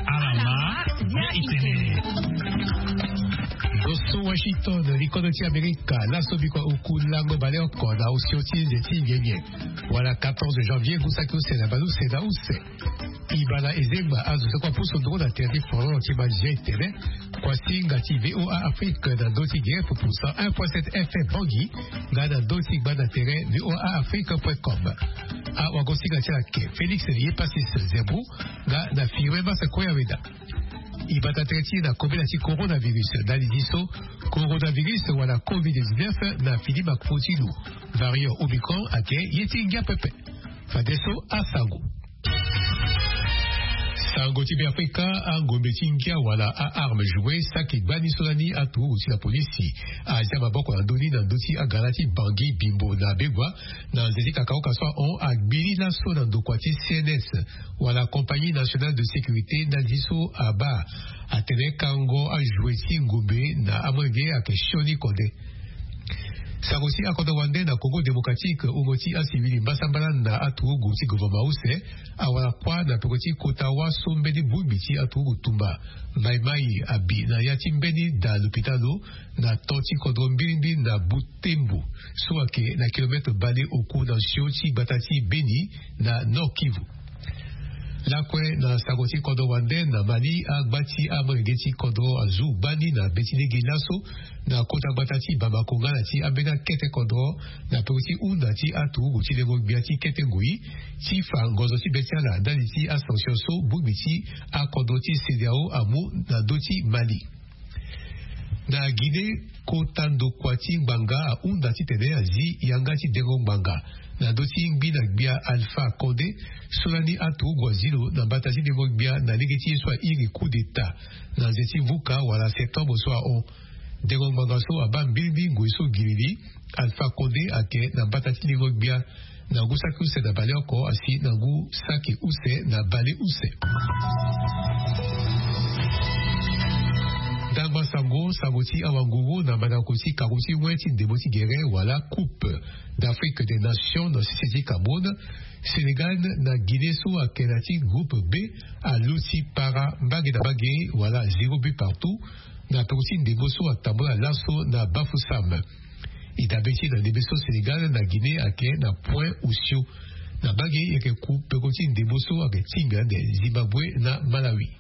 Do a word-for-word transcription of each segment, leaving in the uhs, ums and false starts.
Alama ya itene. Zo so Washington, likodo ti Amerika, laso biko oku lango baleoko na osio ti nze ti nyenye, wala quatorze janvier, ngu saki use na baleuse na use. Ibala ezengba azo so kua pusu nduru na tere ti foro ti manzia itene. Kuasinga ti VOA Afrique na ndö ti ge pupu cent un point sept F M Bangui, nga na ndö ti gba na tere VOA Afrique point com. Awagosinga ti lake Félix Yepasis Zembu, nga na Firmin Masa Koyaweda. Ibata tere ti na kobela ti coronavirus, ndali ti so coronavirus wala covid dix-neuf na fini makumu ti lo, variant Omicron ayeke ye ti ngia pepe. Fadeso asango. Sango ti Beafrika, angombe ti ngia wala a-arme joué saki gbani so lani aturugu ti la polisi azia maboko na ndö ni na ndö ti agara ti Bangui, Bimbo na Begoua, na nze ti kakaoka so ahon agbili laso na ndokua ti C N S, wala Compagnie Nationale de Sécurité, ndali ti so abaa atene kango ajoué ti ngombe na amolenge ayeke sioni kode. Sango ti akodro wande na Congo Démocratique, wungo ti asivili mbasambala na aturugu ti gouvernement use awara kuâ na peko ti kota wâ so mbeni bongbi ti aturugu tumba Mai Mai abi na ya ti mbeni da lopitalo na to ti kodro mbirimbi na Butembo, so ayeke na kilomètre bale oku na sio ti gbata ti Beni na Nord-Kivu. Lakue na sango ti kodro wande na Mali, agba ti amolenge ti kodro azu gbani na be ti lege laso na kota gbata ti Bamako nga na ti ambeni akete kodro na peko ti hunda ti aturugu ti lengo-gbia ti kete ngoi ti fa ngonzo ti be ti ala ndali ti asanction so bongbi ti akodro ti CEDEAO amu na ndö ti Mali. Na Guinée, kota ndokua ti ngbanga ahunda titene azi yanga ti dengo ngbanga na ndö ti ngbi na gbia Alpha Condé, so lani aturugu azi lo na mbata ti dengo gbia na lege ti ye so airi coup d'État na nze ti vuka wala septembre so ahon. Dengo ngbanga so abaa mbirimbi ngoi so giriri, Alpha Condé ayeke na mbata ti dengo gbia na ngu saki use na baleoko asi na ngu saki use na baleuse. Ndangba sango, sango ti awanguru na mandako ti karo ti wen ti ndembo ti gere wala Coupe d'Afrique des Nations na sese ti Cameroun. Sénégal na Guinée so ayeke na ti groupe B aluti para mbage na mbage wala zéro but partout na peko ti ndembo so atambula laso na Bafoussam. E dabe ti e na ndembe so Sénégal na Guinée ayeke na point osio. Na mbage e yeke ku peko ti ndembo so ayeke tinga ande Zimbabwe na Malawi.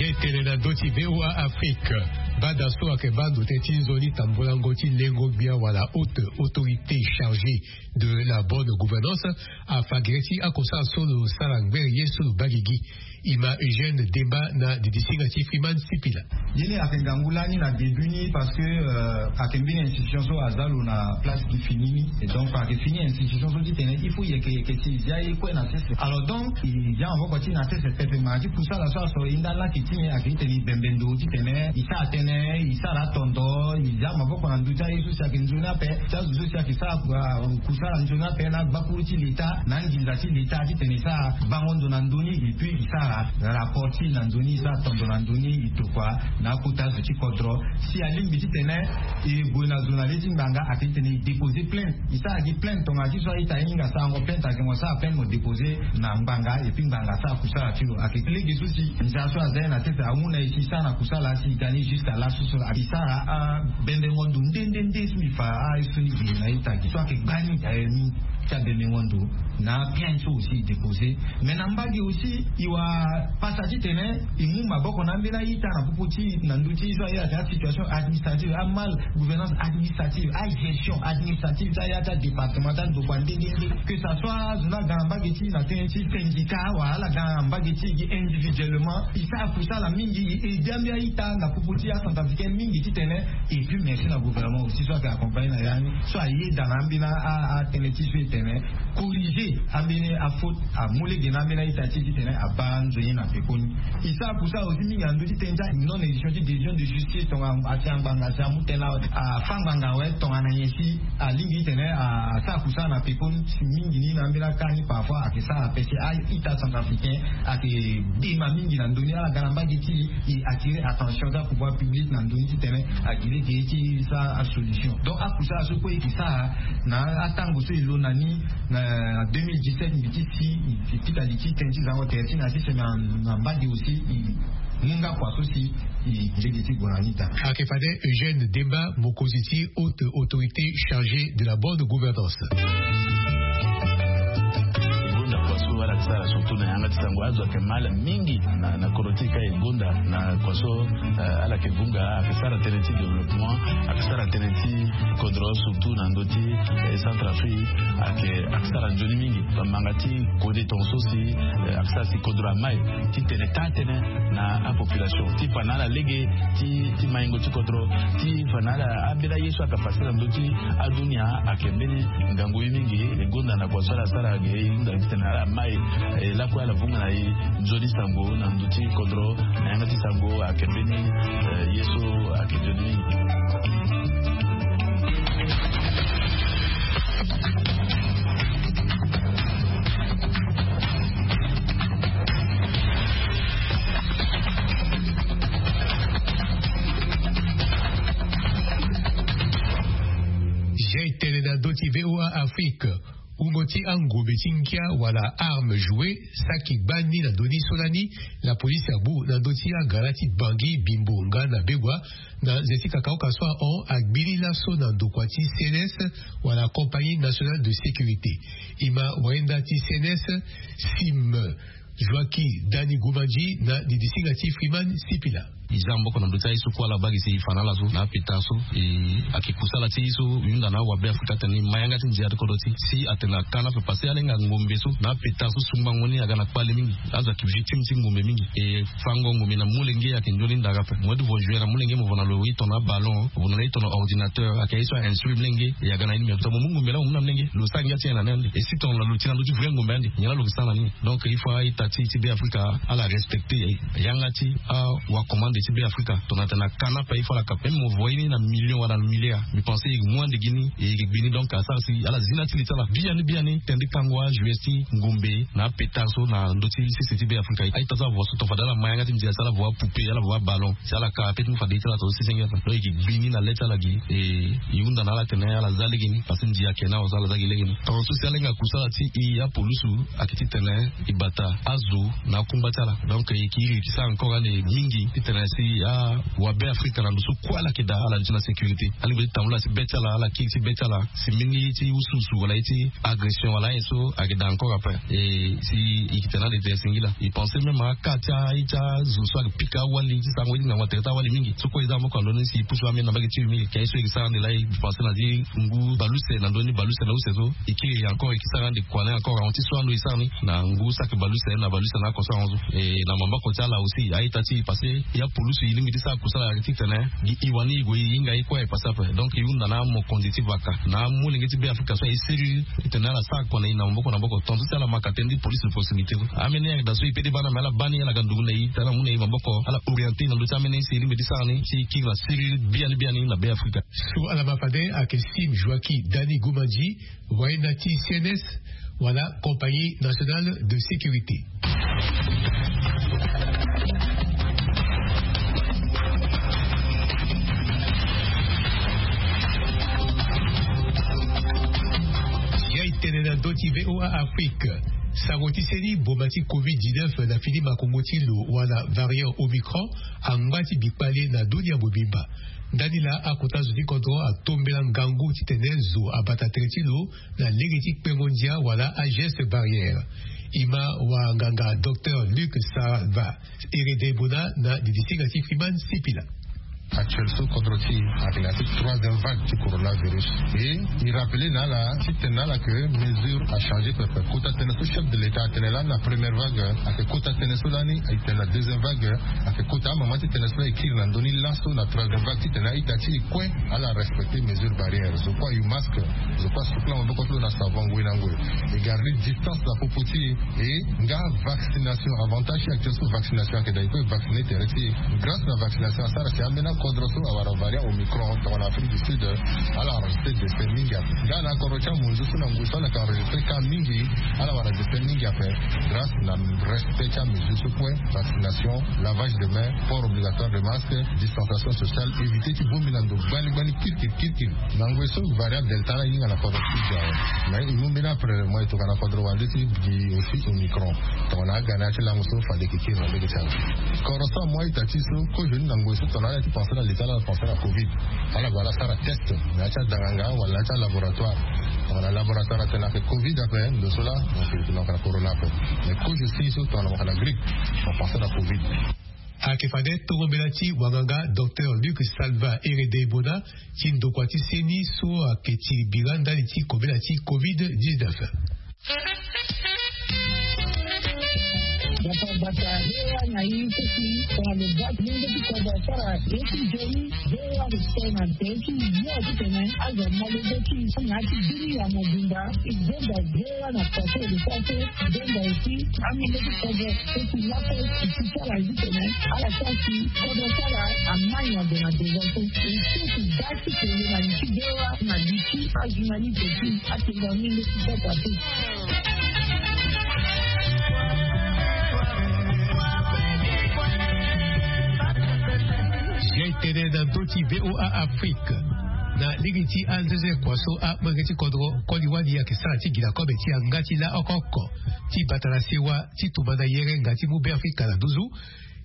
Ye tene na ndö ti VOA Afrique, bada so ayeke baa ndo tënë ti nzoni tambolango ti lengo gbia wala haute autorité chargée de la bonne gouvernance afa gere ti akosara so lo sara ngbere ye so lo baa gigi. Ima Eugène Demba na didisinga ti Freeman Sipila. Ye ni ayeke ngangu lani na début ni parce que, euh, ayeke mbeni institution so aza lo na place gi fini ni. Et donc ayeke fini institution so titene il faut yeke yeke ti zia ye kue na sese. Alors donc i zia maboko ti na sese pepe ma ti kusala so aso e nda laki ti ni ayeke titene i bembe ndo titene i sara tënë, i sara tondo, i zia maboko na ndö ti aye so si ayeke nzoni ape. Ti azo so si ayeke sara, ah, kusala nzoni ape na gbakuru ti leta na nginza ti leta titene i sara bango ndo na ndö ni, et puis i sara rapport ti na nzoni, i sara tondo na ndö ni, i tokua na akota zo ti kodro. Si alingbi titene e gue na zo na le ti ngbanga, ayeke titene e déposer plainte. E sara gi plainte tonga ti so a-ita ahinga sarango plainte, ayeke mo sara plainte mo déposer na ngbanga, et puis ngbanga asara kusala ti lo. Ayeke lege so si nza so aza ye na sese amu na e si e sara na kusala si e gagner jusqu'à laso so e sara, ah, bembengo ndo nde nde nde so e fa, ah, so ni gi na ita gi so ayeke gbani, eh, ni ti abembengo ndo. Na plainte so aussi e déposer. Mais na mbage aussi e wa pasa titene e mu maboko na ambeni a-ita na popo ti na ndö ti so aye atene asituation administrative, amal gouvernance administrative, agestion Administrative ti aya ti adépartement ti andokua nde nde nde, que ça soit azo ni aga na mbage ti e na tënë ti syndicat wala ala ga na mbage ti e gi individuellement, e sara kusala mingi, e aidé ambeni a-ita na popo ti acentrafricain mingi titene. Et puis merci na gouvernement aussi so ayeke accompagné na ya ni, so ayeda na ambeni atënë ti so e tene corriger ambeni afaute amu lege na ambeni a-ita ti e titene abaa nzoni na pekoni. E sara kusala aussi mingi na ndö ti tënë ti a non édition ti décision de justice, tongana asi angbanga asi amu tënë awe, afa ngbanga awe tongana nyen si alingbi titene asara kusala na pekoni. Si mingi ni na ambeni aka ni parfois ayeke sara ape si a-ita centrafricain ayeke dema mingi na ndö ni, ala ga na mbage ti e, e attirer attention ti apouvoir public na ndö ni titene agi lege ti sara asolution. Donc akusala so kue e yeke sara na atango so e lo na ni na deux mille dix-sept, mbi ti si e pika li ti tënë ti zango tere ti na ti seme na mbage aussi e mu nga kua so si e gi lege ti gue na ni daa. Ayeke fade Eugène Demba, mokonzi ti haute autorité chargée de la bonne gouvernance. E gonda kua so ala yeke sara surtout na yanga ti sango, azo ayeke mal mingi na, na kodro ti e ka e gonda na kua so, eh, ala yeke vunga, ayeke sara tënë ti développement, ayeke sara tënë ti kodro surtout na ndö ti, eh, Centrafrique, ayeke, ayeke sara nzoni mingi. Bamanga ti kode tongaso si, eh, ayeke sara si kodro amai titene taa tënë na apopulation ti fa na ala lege ti, ti maingo ti kodro, ti fa na ala ambeni aye so ayeke pase na ndö ti adunia, ayeke mbeni ngangu ye mingi. E gonda na kua so ala sara ge, e hunda titene ala mai, e lakue ala vunga na e nzoni sango na ndö ti kodro, na yanga ti sango ayeke mbeni, eh, ye so ayeke nzoni mingi. Jai tene na ndö ti VOA Afrique. Wungo ti angombe ti ngia wala arme joué saki gbani na ndö ni so lani. Lapolisi abu na ndö ti agara ti Bangui, Bimbo nga na Begoua, na nze ti kakaoka so ahon agbiri laso na ndokua ti C N S wala Compagnie Nationale de Sécurité. E ma wayenda ti C N S, Sim Joaki Dani Gumandji, na didisinga ti Freeman Sipila. E za maboko na ndö ti aye so kue ala baa gi si e fa na ala so na apeta so, e ayeke kusala ti ye so e hunda na awabe Afrika atene e ma yanga ti ndia ti kodro ti e si atene aka ni ape parce que ala hinga ngombe so na apeta so sungbango ni aga na kpale mingi. Azo ayeke victime ti ngombe mingi. E fango ngombe na molenge ayeke nzoni ndara ape. Mo ti vo jouer na molenge, mo vo na lo e tongana aballon, mo vo na lo e tongana ordinateur, ayeke ye so a instruire molenge. E aga na ye ni, me mo mu ngombe laa mo mu na molenge, lo sara ngia ti nyen na ni ande? E si tongana lo ti na ndö ti vrai ngombe ande, nyen laa lo ke sara na ni? Donc il faut a-ita ti, ti Be Afrika ala respecter yanga ti awacommande ti Be Afrika. Tongana tena ka ni ape il faut ala ka, même mo vo ye ni na million wala na milliard, mbi pense e mu ande gi ni, e yeke gbi ni. Donc asara si ala zi na ya ti li ti ala biani biani tënë ti kango ajoueurs ti ngombe na apeta so na ndö ti sese ti Be Afrika. A-ita so avo so tongana fade ala ma yanga ti ndia si ala vo apoupée, ala vo aballon, si ala ka ape ti mu fade ye ti ala tongaso sese ngia ape. Donc e yeke gbi ni na le ti ala gi, e e hunda na ala atene ala za lege ni parce que ndia ayeke na awa so ala za gi lege ni. Tongaso si ala hinga kusala ti e apolusu ayeke titene e bata azo na akungba ti ala. Donc e yeke iri e ke sara encore ande mingi titene si awabe Afrika na ndo so kue ala yeke daa ala duti na sécurité. Alingbi ti tambula ti be ti ala, ala kiri ti be ti ala si mbeni ye ti usuusu wala ye ti agression wala ayen so ayeke daa encore ape. E si e yeke tene ande tere singila. E pense même aka ti aye ti azo so ayeke pika awali ti sango ye ti ngangu na tere ti awali mingi. So kue e za maboko na ndö ni si e pusu ambeni na mbage ti e mingi. Ka ye so e yeke sara ande laa e pense na ti ngu bale use na ndö ni, bale use na use so e kiri e encore e yeke sara ande kua ni encore ahon ti so ando e sara ni na ngu saki bale use na bale use na oko so ahon so. E na maboko ti ala aussi a-ita ti e parce que e apolusu e lingbi ti sara kusala titene gi e wani e gue e hinga ye kue e passe ape. Donc e hunda na amokonzi ti vaka na amolenge ti Be Afrika so aye sérieux titene ala sara kua na e na maboko na maboko. Tongaso si ala ma ka tënë ti police de proximité so, ambeni ayeke daa so e pede baa ni, me ala baa ni, ala ga ndugu na e titene ala mu na e maboko, ala orienter na ndö ti ambeni ye so e lingbi ti sara ni si e kiri na sérieux biani biani na Be Afrika. So ala ma fade ayeke Sim Joaki Dani Gumandji, wayenda ti C N S wala Compagnie Nationale de Sécurité. Ya e tene na ndö ti VOA Afrique. Sango ti seni mboma ti covid dix-neuf na fini makongo ti lo wala variant Omicron angba ti bikpale na dunia mobimba. Ndani laa akota zo ti kodro atombela ngangu titene zo abata tere ti lo na lege ti kpengo ndia wala ageste barrière. E ma wanganga docteur Luc Salva Eredebona na didisinga ti Freeman Sipila. Actuel so kodro ti ayeke na ya ti troisième vague ti coronavirus. Et il rappelait na ala titene na ala que mesure achangé pepe. Kota tënë so chef de l'état atene lani na première vague, ayeke kota tënë so lani ayeke tene na deuxième vague, ayeke kota amama ti tënë so lani ekiri na ndö ni laso na troisième vague titene a-ita ti e kue ala respecter mesure barrière. Zo kue ayu masque, zo kue asukula maboko ti lo na savon ngoi na ngoi. E garder distance na popo ti e. E nga vaccination, avantage ti actuel so vaccination ayeke daa e kue vacciner tere ti e. Grâce na vaccination asara si ambeni akodro so awara variant omicron tongana Afrique du Sud, ala enregistré décès mingi ape. Nga na akodro ti amonzu so na ngoi so ala yeke enregistré cas mingi, ala wara décès mingi ape. Grâce na respect ti amesure so kue, vaccination, lavage de main, port obligatoire de masque, distanciation sociale, éviter ti bongbi na ndo gbani gbani kirikiri kirikiri. Na ngoi so variant delta ala hinga na kodro ti e awe. Mais e mu mbeni après mo e tokua na kodro wande ti gi aussi omicron. Tongana aga na ya ti lango so fade e yeke kiri na lege ti ala. Kodro so amu a-ita ti e so kozo ni na ngoi so tongana ala ti pensé na l'état ala pensé na covid. Ala gue ala sara test na ya ti adanganga wala na ya ti alaboratoire. Tongana laboratoire atene ayeke covid ape ndo so laa, donc e yeke na corona ape. Mais kozo si so tongana mo yeke na grippe, mo pensé na covid. Ayeke fade tongo mbela ti wanganga docteur Luc Salva Herede Bona ti ndokua ti seni so ayeke ti bira ndali ti kobela ti covid dix-neuf. Bata bata, hewa na ye ti si tongana lo baa ti mungo ti kodro asara ye ti nzoni. Hewa lo sara na nze ti yo titene azo amolenge ti na ya ti bini ya mobimba. E gonda hewa na kua so e lo sara so. Donda aussi, amolenge ti kodro so ti lakue ti ti ti ala titene ala sara si kodro ti ala amai na ndo na devant so. E so ti ga ti kele na li ti hewa na li ti ajournaliste ti atenda mingi ti sasa te. Ye tene na ndö ti V O A Afrique. Na lege ti anzenze kua so amolenge ti kodro koli wali ayeke sara ti gi na kobe ti yanga ti la oko oko ti bata na sewa ti tumba na yere nga ti mu Beafrika na nduzu.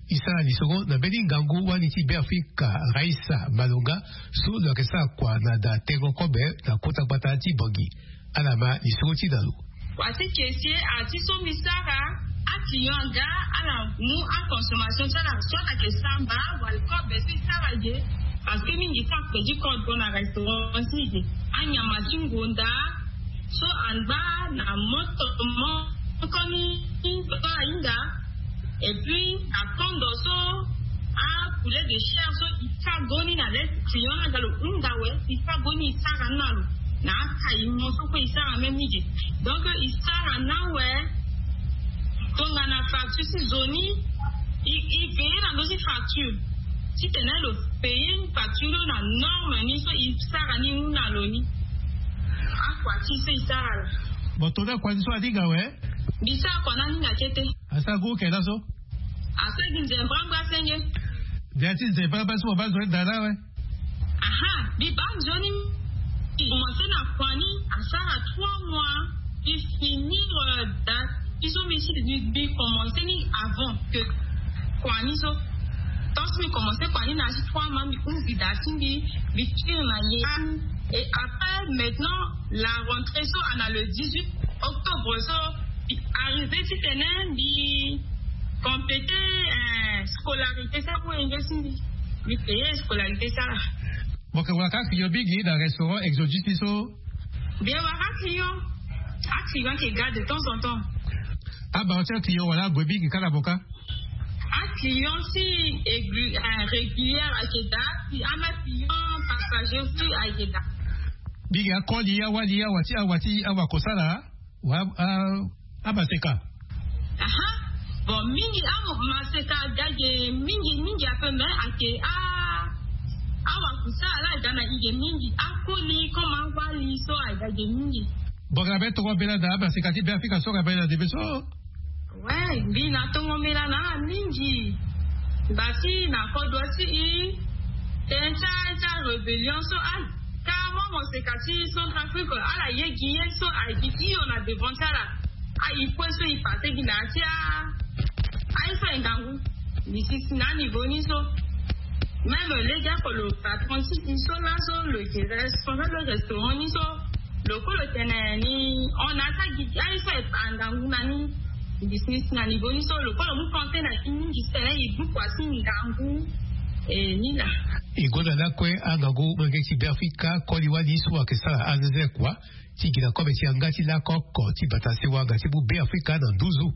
E sara lisoro na mbeni ngangu wali ti Beafrika Raissa Malonga so lo yeke sara kua na da tengo kobe na kota gbata ti Bangui. Ala ma lisoro ti na lo. Wa ti kese a ti so mbi sara, aclient aga ala mu aconsommation ti ala so ala yeke samba wala kobe so e sara ge. Parce que mingi so akpe ti kodro na restaurant ti ge, anyama ti ngonda so angba na moto moko ni so ahinga. Et puis akondo so apoulet de chair so e sara goni na lait client na ga lo hunda we, e sara goni e sara ni na lo na akaimo so kue e sara même ige. Donc e sara na we tongana facture ti zo ni e veiller na ndö ti facture titene lo payer facture lo na norme ni so e sara ni hunda lo ni. Akua ti so e sara la. Bon, tongana akua ni so aninga we. Mbi sara kua na aninga kete. Asara gu oke laso. Asara gi nzembra ngba senge. Dia ti nzembra ngba so mo baa nzoni dara we. Aha, mbi baa nzoni. Commencé na kua ni asara trois mois. Mbi finir da. Mbi so mbi si mbi commencé ni avant que kua ni so. Tant so mbi commencé kua ni na si trois mois mbi hunda si mbi mbi kiri na ye. Et après maintenant la rentrée so ana le dix-huit octobre so. Arrivé titene mbi compléter scolarité so amu enge si mbi mbi payer scolarité so ala. Mo yeke wara ka client mingi na restaurant Exodus ni so. Mbi yeke wara aclient. Aclient ayeke ga de temps en temps. Abaro ti aclient wala ague mingi kâ na mo kâ? Aclient si régulière ayeke daa si ama client passager aussi ayeke daa. Mingi akoli awali awa ti awa ti awa kosala. Wa a amaseka. Aha. Bon mingi amaseka aga ge mingi mingi ape mais ayeke a awakusa ala aga na ige mingi akoli comme awali so aga ge mingi. Bon nga be tongo mbela na amaseka ti Beafrika so nga be na ndembe so. Ouais mbi na tongo mbela na ala mingi. Basi na kodro ti e tënë ti arébellion so a. Kâ mo moseka ti Centrafrique ala ye gi ye so ayeke hio na devant ti ala. Ayi kue so e passé gi na ya ti a aye so aye ngangu. Mbi si si na aniveau ni so même lege oko lo patron ti e so laso lo yeke responsable restaurant ni so. Lo kue lo tene ni hon na ya ti agigi aye so aye ngangu na ni. Mbi si si na niveau ni so lo kue lo mu compté na e mingi titene e gbu kua ti ngangu. E ni laa. E gonda lakue angangu molenge ti Beafrika koli wali so ayeke sara anzeze kua ti gi na kobe ti yanga ti lako oko ti bata sewa nga ti mu Beafrika na nduzu.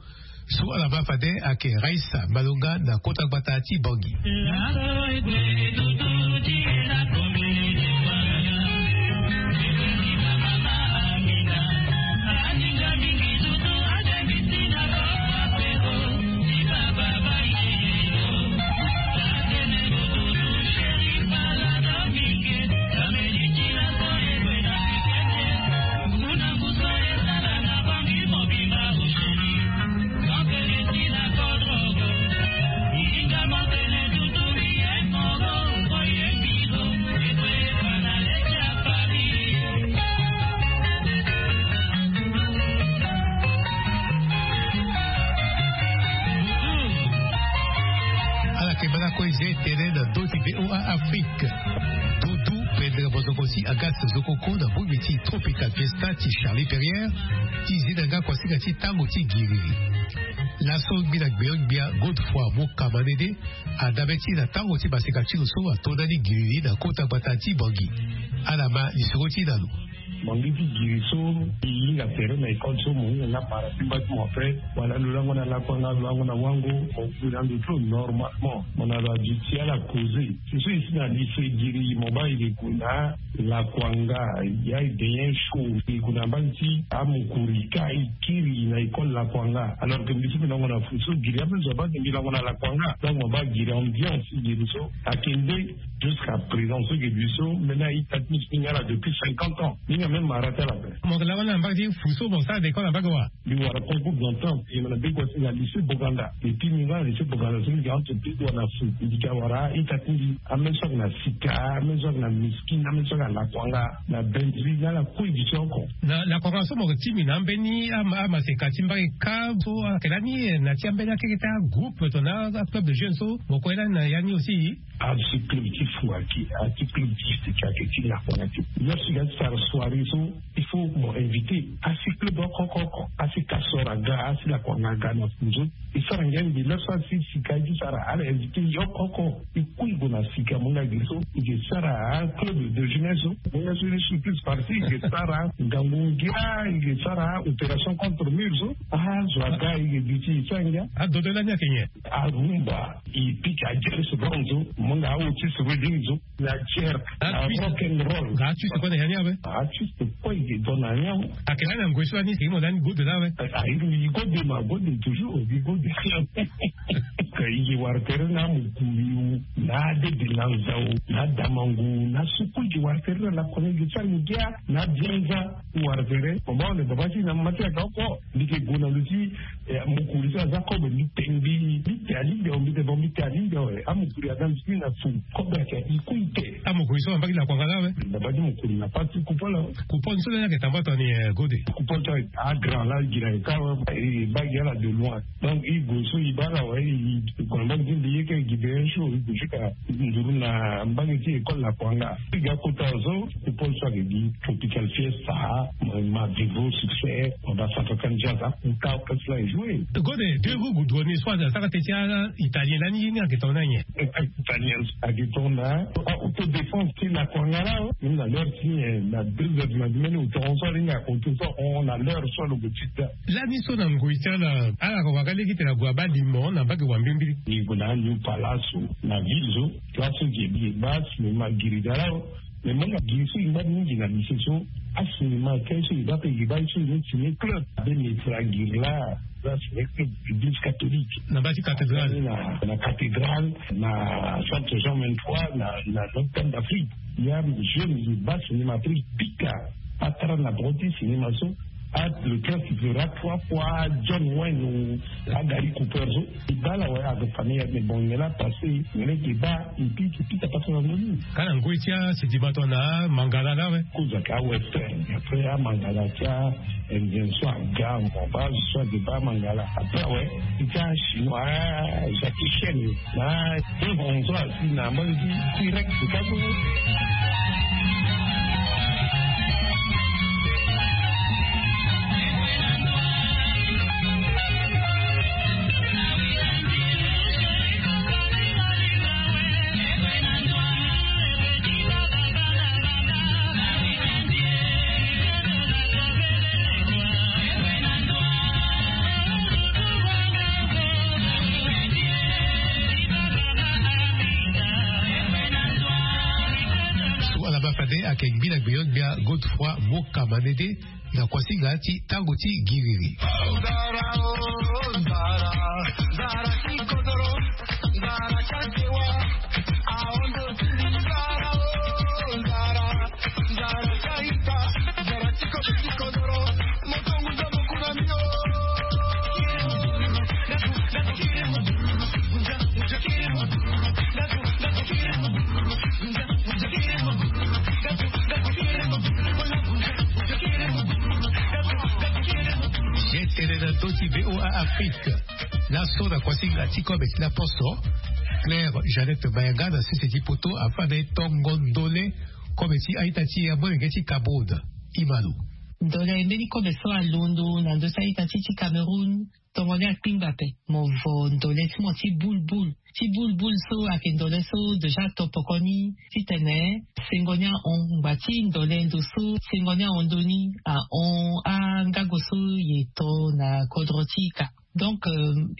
So ala ma fade ayeke Raissa Malonga na kota gbata ti Bangui. Ala yeke bana kue zia e tene na ndö ti V O A Afrique. Dudu pendere bozoko ti Agas Zokoko na bongbi ti Tropical Fiesta ti Charlie Perrier ti zi na nga kuasinga ti tango ti giriri. Laso ngbila gbio-gbia Godefroid Mokamanede adabe ti na tango ti maseka ti lo so ato ndani giriri na kota gbata ti Bangui. Ala ma lisoro ti na lo. Mo ngi ti giri so, i hinga tere na école so, mo hinga nga para ti mba ti mo après, wala lo lango na lakuanga, lo lango na wango, mo giri na ndo ti lo normalement. Mo na lo aduti ala causer. Si so i si na lycée giri, mo baa i ke gue na lakuanga, ya i de nyen chaud, i ke gue na mbage ti amokori ka i kiri na école lakuanga. Alors que mbi so mbi lango na fu so giri ape zo abaa ke mbi lango na lakuanga. Donc mo baa giri ambiance ti giri so. Ayeke nde jusqu'à présent so ge biso, maintenant, i ta ti mbi nga la depuis cinquante ans. Ni nga même mara ti ala pe. Mo ke la wani na mbage ti fu so mo sara d'école na mbage wa? Mbi wara concours d'entrée, e mo na be kua ti na lycée Boganda. Et puis mbi nga na lycée Boganda so mbi ga entre be kua na fu. Mbi ga wara i ta ti mbi, ame so ayeke na sika, ame so ayeke na miskin, ame so ayeke na lakuanga, na bendri, na ala kue gi ti oko. Na lakuanga so mo ke ti mbi na ambeni ama, amaseka ti mbage ka so ayeke lani, na ti ambeni akeke ti agroupe to na aclub de jeunes so mo kue lani na ya ni aussi? Asi club ti fu ayeke, asi club ti sika ayeke ti lakuanga ti. Lo si ga ti sara soirée so, il faut mo inviter asi club oko oko oko, asi kasoro aga, asi lakuanga aga na fu so. E sara ngia mbi lo so asi sika e ti sara, ala inviter yo oko oko. E kui gue na sika mo nga gi so, e ke sara club de jeunesse so. Mo nga so ni surprise parti, e ke sara ngangu ngia, e ke sara opération contre mur so. Ah, zo aga, e ke duti e sara ngia. Adodo lani ayeke nyen? Arumba, e pika jazz, bronze, mo nga aotis, reading so, na jerk, na rock and roll. Ga artiste kue na ya ni awe? Artiste kue e ke don na ya ni awe. Ayeke lani na ngoi so lani, si mo lani gode laa awe? Ah, e gode ma gode toujours, e gode. Ka e ke wara tere na mokuri, na adede na nzau, na damangu, na soko e ke wara tere na lakue, e ke sara ngia, na bianza. Wara tere, mo baa, on est baba ti na mama ti ayeke oko. Mbi ke gue na ndö ti, eh, mokuri so aza kobe, mbi te, mbi, mbi te alingbi awe, mbi te bon, mbi te alingbi awe. Amokuri aza mbi ti na fu kobe ayeke i kui te. Amokuri so na mbage ti lakuanga laa awe? Na mbage ti mokuri na pâte ti Coupole awe. Coupole so lani ayeke tambua tongana nyen, eh, gode? Coupole so agra laa gi na e ka awe, e baa gi ala de loin. Donc e gue so e baa ala awe, e gue na mbage ti mbi ye ka e gi de un jour, e gue jusqu'à nduru na mbage ti école lakuanga. E ga kota so, Coupole so ayeke gi Tropical Fiesta, ma, ma vivo succès, ma ba Santa Canja, akuta orchestre la e jouer. Gode, deux roues goudronnées so asara teti a-italien lani, ye ni ayeke tongana nyen? Italien ayeke tongana autodéfense ti lakuanga laa. Même na l'heure ti, eh, na deux heures du matin, même au temps so alingbi akonte so, on na l'heure so alo gue ti da. Lani so na ngoi ti ala, ala yeke wara lege ti tene ague abaa limo na mbage wa mbilimbili. E gue na New Palace so, na ville so, place so e bi e baa cinéma giri ga laa. Mais mo nga giri so e ngba mingi na lycée so, acinéma kâ so e baa ape, e baa so e ni ciné club. Abe maître agiri laa, aza ciné club, église catholique. Na mbage ti cathédrale. Na, na cathédrale, na centre Jean vingt-trois, na, na Notre-Dame d'Afrique. Ya jeune e baa cinéma, après e pika, atara na bango ti cinéma so. Ah, le cœur qui pleura trois fois, John Wayne ou Gary Cooper so. E baa ala awe, avec famille, mais bon, il est là, passé, il est là, et puis, et puis, t'as pas trop envie. Ka na ngoi ti asidima tongana amangala laa awe? Kozo ayeke awestern, après amangala ti a-Indien so aga, mo baa zo so ayeke baa amangala. Après awe, ti ti achinois, ah, Jackie Chan. Na Evans so asi na mbage ti T-Rex ka so. Kengbi na gbeyon gbia godefroi moka manede na kuasinga ti tango ti giriri. Jetele na ndö ti VOA Afrique. Laso na kuasinga ti kobe ti laposo, Claire Jeannette Mayanga na sese ti poto afanda e tongo ndole kobe ti a-ita ti amolenge ti Kabod. Imalu. Ndole mbeni kobe so alondo na ndö ti a-ita ti ti Cameroun. Tongo ni akpingba ape. Mo vo ndole ti mo ti bulbul. Ti bulbul so ayeke ndole so déjà ato poko ni titene sengo ni ahon. Ngba ti ndole ndo so sengo ni ahon ndoni ahon angago so ye to na kodro ti ika. Donc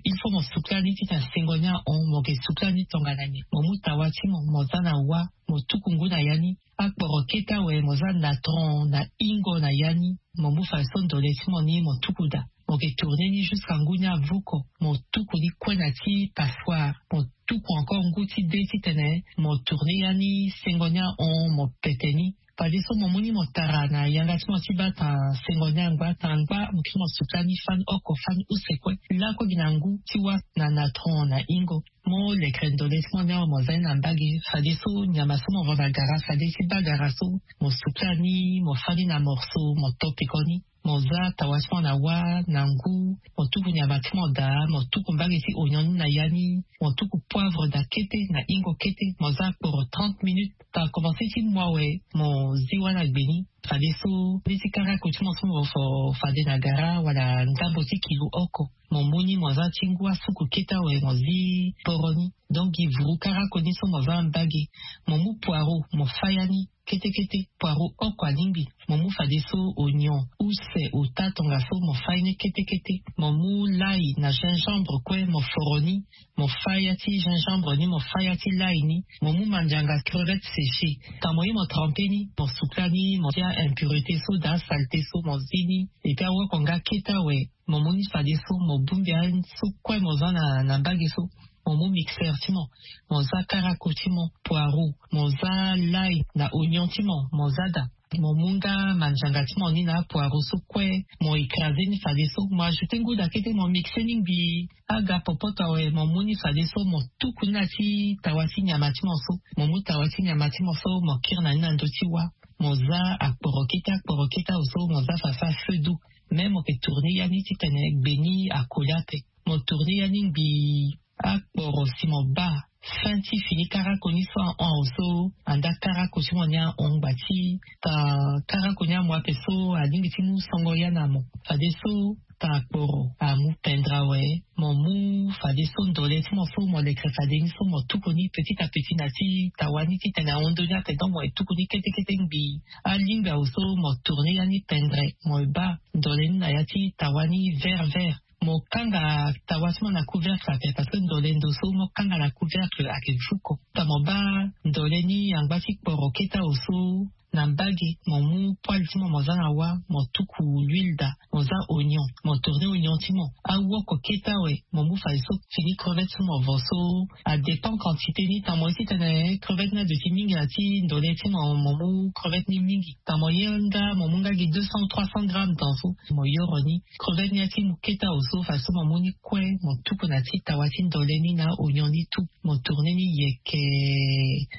il faut mo sukla ni titene sengo ni ahon. Mo ke sukla ni tongana nyen? Mo mu tawa ti mo, mo za na wa, mo tuku ngu na ya ni. Akporo kete awe mo za natron na ingo na ya ni. Mo mu fadeso ndole ti mo ni mo tuku daa. Mo ke tourne ni jusqu'à ngu ni avoko. Mo tuku ni kue na ti passoire. Mo tuku encore ngu ti de titene mo tourne ya ni sengo ni ahon mo pete ni. Fadeso mo mu ni mo tara na yanga ti mo ti baa tanga sengo ni angba tanga angba mo kiri mo sukla ni fani oko fani use kue. Lakue gi na ngu ti wa na natron na ingo. Mo lekere ndole ti mo ni awe mo za ni na mbage. Fadeso nyama so mo vo na gara fade ti baa gara so mo sukla ni mo fâ ni na morso mo to peko ni. Mo za tawa ti mo na wa na ngu. Mo tuku nyama ti mo daa mo tuku mbage ti ognon ni na ya ni. Mo tuku poivre daa kete na ingo kete mo za kporo trente minutes. Tanga komanse ti mo awe mo zi wa na gbe ni. Fadeso mbeni ti karako ti mo so mo fo fade na gara wala ndambo ti kilo oko. Mo mu ni mo za ti ngu asuku kete awe mo zi poro ni. Donc gi vuru karako ni so mo za mbage. Mo mu poiro mo fâ ya ni kete kete. Poiro oko alingbi. Mo mu fadeso ognon use ota tongaso mo fâ ye ni kete kete. Mo mu lai na gingembre kue mo foro ni. Mo fâ ya ti gingembre ni mo fâ ya ti lai ni. Mo mu mandianga crevette séchée. Tanga mo ye mo trempe ni mo sukla ni mo tia impurité so daa saleté so mo zi ni. Epui awoko nga kete awe. Mo mu ni fadeso mo bongbi aye so kue mo za na mbage so. Mo mu mixeur ti mo. Mo za karako ti mo poiro. Mo za lai na ognon ti mo mo za daa. Mo mu nga mandianga ti mo ni na apoiro so kue. Mo écrase ni fadeso mo ajoute ngu daa kete mo mixe ni ngbii. Aga popoto awe mo mu ni fadeso mo tuku ni na ti tawa ti nyama ti mo so. Mo mu tawa ti nyama ti mo so mo kiri na ni na ndö ti wa. Mo za akporo kete akporo kete awe so mo za fafa feu doux. Mais mo ke tourne ya ni titene gbe ni akoli ape. Mo tourne ya ni ngbii. Akporo si mo baa fin ti fini karako ni so ahon awe so. Anda karako ti mo ni ahon ngba ti tanga karako ni amu ape so alingbi ti mu songo ya na mo. Fadeso tanga kporo amu pendre awe. Mo mu fadeso ndole ti mo so mo lekere fade ni so mo tuku ni petit à petit na ti tawa ni titene ahon ndoni ape donc mo ye tuku ni kete kete ngbii. Alingbi awe so mo tourne ya ni pendre mo ye baa ndole ni na ya ti tawa ni vert vert. Mo kanga tawa ti mo na couvercle ape parce que ndole ndo so mo kanga na couvercle ayeke vuko. Tanga mo baa ndole ni angba ti kporo kete awe so na mbage mo mu poêle ti mo mo za na wa mo tuku l'huile daa. Mo za ognon mo tourne ognon ti mo. Awoko kete awe mo mu fadeso fini crevette so mo vo so. Adépend quantité ni tanga mo ye titene crevette ni aduti mingi na ti ndole ti mo mo mu crevette ni mingi. Tanga mo ye nga mo mu nga gi deux cents ou trois cents grammes dans so mo yoro ni. Crevette ni ati mu kete awe so fadeso mo mu ni kue mo tuku na ti tawa ti ndole ni na ognon ni tout. Mo tourne ni yeke.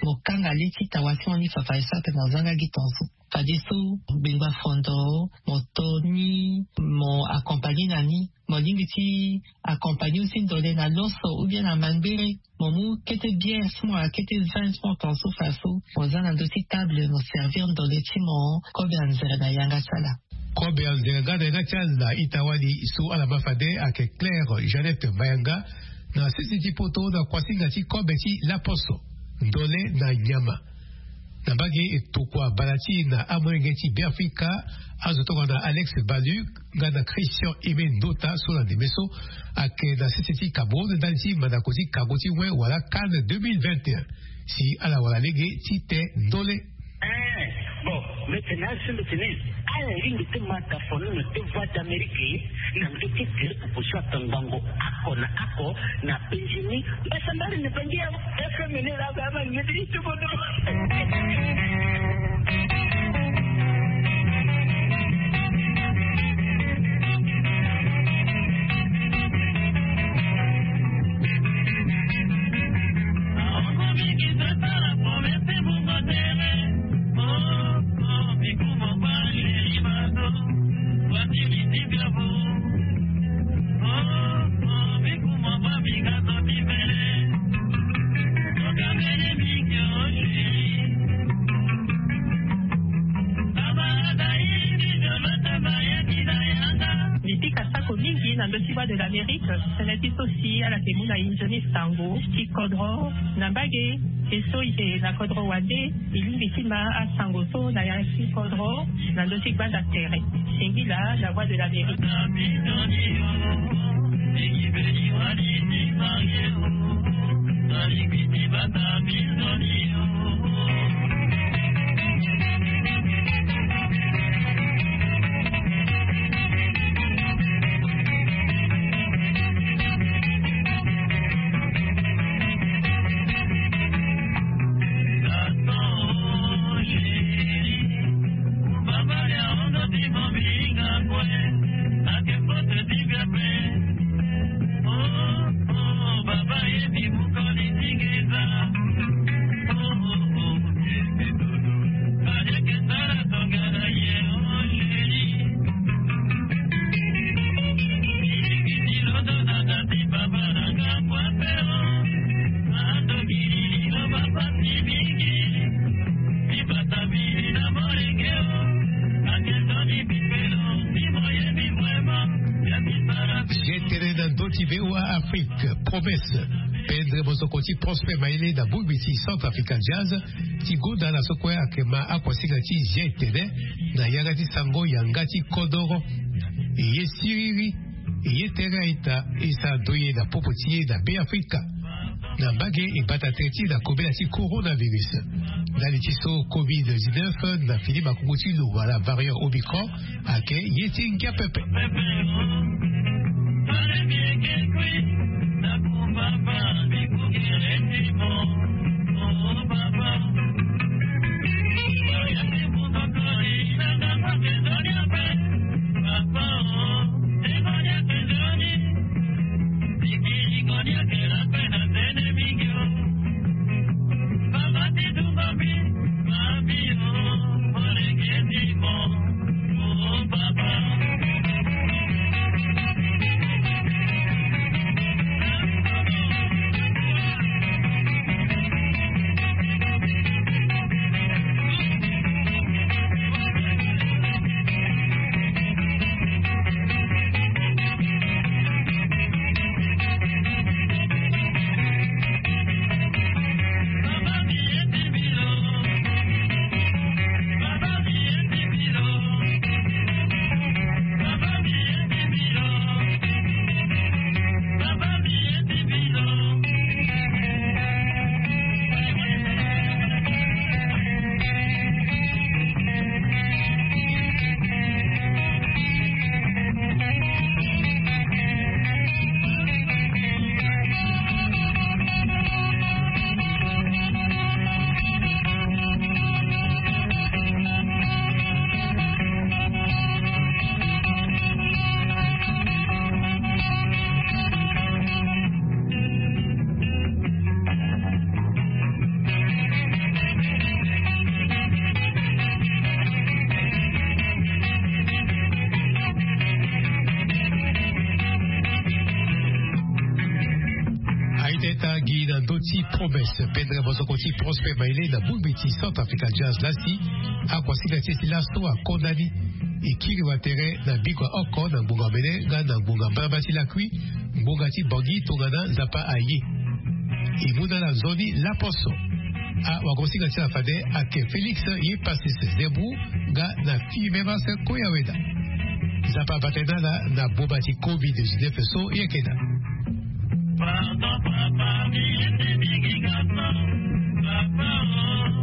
Mo kanga le ti tawa ti mo ni fafadeso ape mo za nga gi tonso. Fadeso gbengba fondo mo to ni mo accompagne na ni. Mo lingbi ti accompagne aussi ndole na loso ou bien na mangbere. Mo mu kete bière ti mo wala kete vin ti mo tonso fadeso mo za na ndö ti table mo servir ndole ti mo. Kobe anzere na yanga ti ala. Kobe anzere nga na yanga ti ala na ita wani so ala ma fade ayeke Claire Jeannette Mayanga na sese ti poto na kuasinga ti kobe ti laposo. Ndole na nyama. Na mbage e tokua bala ti e na amolenge ti Beafrika. Azo tongana Alex Balu nga na Christian Aimé Ndota so na ndeme so ayeke na sese ti Cameroun ndali ti mandako ti kango ti we wala CAN deux mille vingt et un. Si ala wara lege ti te ndole. Eh, bon, Mete na asembe tene ala lingbi te ma ta fono na te voie d'Amérique na nge ti tere proposition ata ngbongo ako na ako na penjini. Mbasa mbari na bangi ya fmn la ba ma nge ti tubodo. Mbi pika sako mingi na ndö ti Voix de l'Amérique. Tënë ti so si ala yeke mu na e nzoni sango ti kodro na mbage. E so e yeke na kodro wande, e lingbi ti ma asango so na ya ti kodro na ndö ti gbanda tere. Singila na Voix de l'Amérique. Tene na ndö ti V O A Afrique, promesse. Pendre mosoko ti Prosper Maele na bongbi ti Centre African Jazz ti gonda na so kue ayeke ma akuasinga ti zia etene na yanga ti sango yanga ti kodoro. E ye siriri, e ye tere a-ita, e sara ndoye na popo ti e na Beafrika. Na mbage e bata tere ti e na kobela ti coronavirus. Ndali ti so covid dix-neuf na fini makungu ti lo wala variant Omicron ayeke ye ti ngia pepe. Aita ita gi na ndö ti promesse pendre mosoko ti Prosper Maele na bongbi ti Centre African Jazz lasi. Akuasinga ti e ti laso akonda ni. E kiri watere na biko ya oko na ngbonga mene nga na ngbonga mbalambala ti lakui, ngbonga ti Bangui tongana Nzapa aye. E mu na ala nzoni laposo. Awagosinga ti ala fade ayeke Félix ye Pacis Zebou nga na Fimemas Koyaweda. Nzapa abata e na ala na boma ti covid dix-neuf so e yeke na. Pardon papa, mi ye ti mingi garçon. Papa oh.